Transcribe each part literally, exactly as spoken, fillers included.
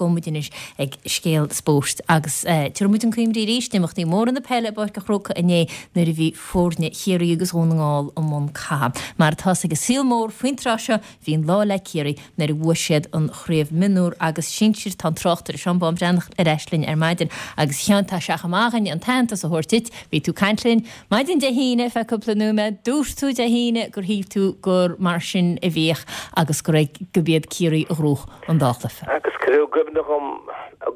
gabhfaidh muid anois ag scéal spóirt agus tabharfaidh muid chun cuimhne arís imeachtaí móra na peile i bPáirc an Chrócaigh inné nuair a bhí foirne Chiarraí agus Dhún na nGall i mbun catha. Mar atá ag an saol mór faoin tráth seo bhí an lá le Ciarraí nuair a bhuaigh siad an chraobh mionúr agus sinsir tá an tráchtaire Seán Bán Breathnach ar ais linn ar maidin agus a Sheáin tá sé chomh maith againn an t-aitheantas a thabhairt duit bhí tú ag caint linn maidin Dé hAoine feadh cúpla nóiméad dúirt tú Dé hAoine gur shíl tú gur mar sin a bheadh agus go raibh go b'iad Ciarraí a ghnóthaigh an dá chluiche. Agus cuireadh i gcuimhne dhom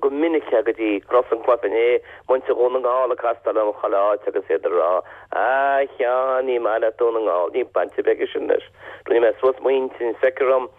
go minic go dtí ros an chluiche inné muintir Dhún na nGall ag castáil orm chuile áit agus iad ag rá a Sheáin ní maith leat Dún na nGall ní baint ar bith aige sin leis. Rinne mé suas m'intinn feictear dom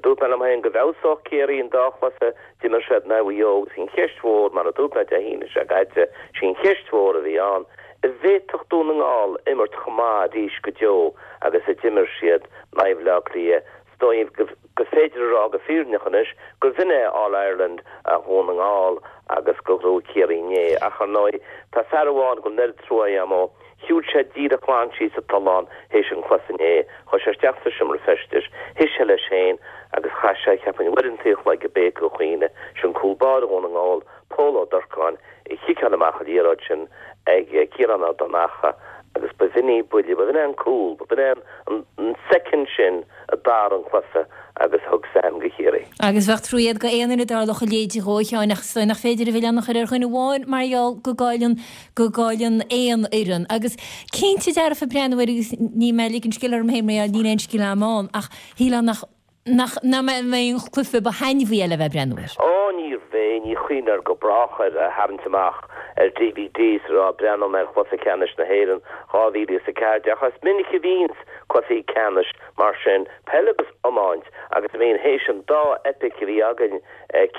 dúirt mé liom féin go bhfeabhsódh Ciarraí an dá chluiche d'imir siad in aghaidh Mhaigh Eo agus an cheist mhór mar a dúirt mé Dé hAoine seo caite sí an cheist mhór a bhí ann an bhféadfadh Dún na nGall imirt chomh maith arís go deo agus a d'imir siad in aghaidh Bhaile Átha Cliath dóibh go féidir a rá go fírinneach anois gur b'in é All Ireland a Dhún na nGall agus go ghnóthaigh Ciarraí inné ach ar ndóigh tá fear amháin go bhfuil trua agam dó Shiúil sé díreach glan síos an tollán théis an chluiche inné, chuaigh sé isteach sa seomra feistis, shuigh sé leis féin agus chaith sé cheapfainn uaireanta an chloig ag béiceadh a chaoineadh sin cúl báire Dhún na nGall, Pól Ó Durcáin, ag ciceáil amach an liathróid sin ag Ciarán Ó Donnacha agus ba bh'in í buille, ba bh'in é an cúl, ba bh'in é an an soicind sin a d'athraigh an cluiche agus thug Sam go Ciarraí. Agus bheadh trua agat go aon duine a dtarlódh a leithéid dhó a Sheáin ach is dóigh nach féidir an milleán a chur ar dhuine amháin mar gheall go gcailleann go gcailleann aon fhoireann. Agus cinnte dearfa breathnú air agus níl mé ag ligean scil orm féin mar gheall níl aon scil agam ann ach shílfeá nach nach nach mbeidh an cluiche ba thaitneamhaí eile a bheith ag breathnú air. Ó níorbh é ní chuimhneofar go brách air a tharraingt amach ar DVD is a rá breathnóidh mé ar chluiche ceannais na hÉireann dhá mhíle is a ceathair déag ach is minic a bhíonns cluichí ceannais mar sin peil agus iomáint agus I mean théis an dá epic a bhí againn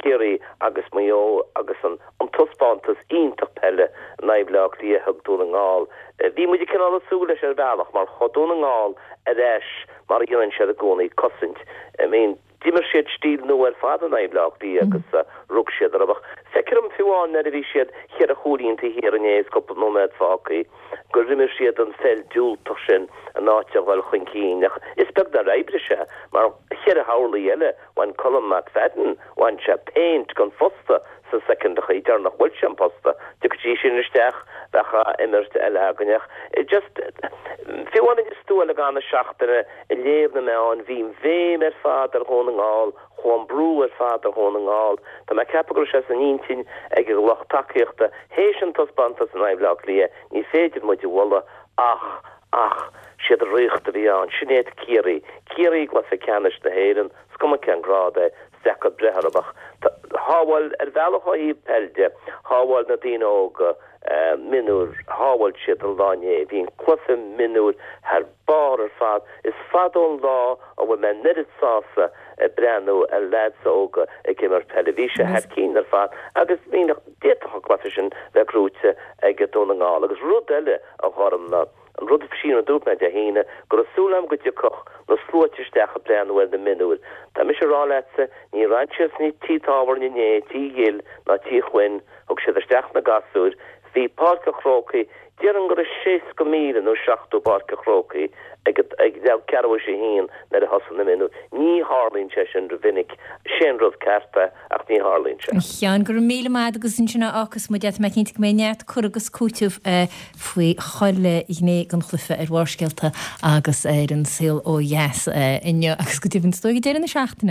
Ciarraí agus Maigh Eo agus an an taispeántas iontach peile in aghaidh Bhaile Átha Cliath thug Dún na nGall. Bhí muid cineál ag súil leis ar bhealach mar chuaigh Dún na nGall ar ais mar a dhéanann siad i gcónaí cosaint. I mean d'imir siad stíl nua ar fad in aghaidh Bhaile Átha Cliath agus rug siad orthu ach feictear dom fiú amháin nuair a bhí siad cheithre chúilín taobh thiar inné is cúpla nóiméad fágtha gur imir siad an pheil diúltach sin in áit a dhul chun cinn ach is beag nár oibrigh sé mar cheithre horlaí eile bhain Colm McFadden bhain sé péint den phosta sa soicind deireanach bhuail sé an posta de sin isteach bheadh imirt eile againn ach just fiú amháin is tú le gan na seachtaine i léamh na meán bhí béim ar fad ar Dhún na nGall chuaigh an brú ar fad ar Dhún na nGall Tá mé ag ceapadh go raibh sé san intinn ag an lucht tacaíochta théis an taispeántas in aghaidh Bhaile Átha Cliath ní féidir muid a mholadh ach ach siad ríocht a bhí ann sin iad Ciarraí Ciarraí cluiche ceannais na hÉireann is cuma cén grád é deacair breith orthu ach shábháil ar bhealach ó thaobh peile de shábháil na daoine óga mionúir shábháil siad an lá inné bhí an cluiche mionúir thar barr ar fad is fada ón lá a bhfuil mé an oiread sásta ag breathnú ar lads óga ag imirt peile bhí sé thar cinn ar fad agus bhí d'fhéadfadh an cluiche sin bheith gnóthaithe ag Dún na nGall agus rud eile a ghorm ná an rud sin a dúirt mé Dé hAoine go raibh súil agam go dtiocfadh na sluaite isteach ag breathnú ar na mionúir. Tá mise ag rá leatsa ní raibh siad sna tithe tábhairne inné Tigh Ghill ná Tigh Chuinn thug siad isteach na gasúir bhí Páirc an Chrócaigh déarfainn go raibh seasca míle nó seachtó Páirc an Chrócaigh ag ag ceathrú a haon nuair a thosaigh na mionúir. Ní tharlaíonn sé sin rómhinic sin rud ceart ach ní tharlaíonn sé. Sheáin go raibh míle maith agus ansin agus muid mé cinnte go mbeidh neart cur agus cúiteamh faoi chuile ghné den chluiche ar Bharrscéalta agus ar an saol ó dheas inniu agus go deimhin deireadh na seachtaine.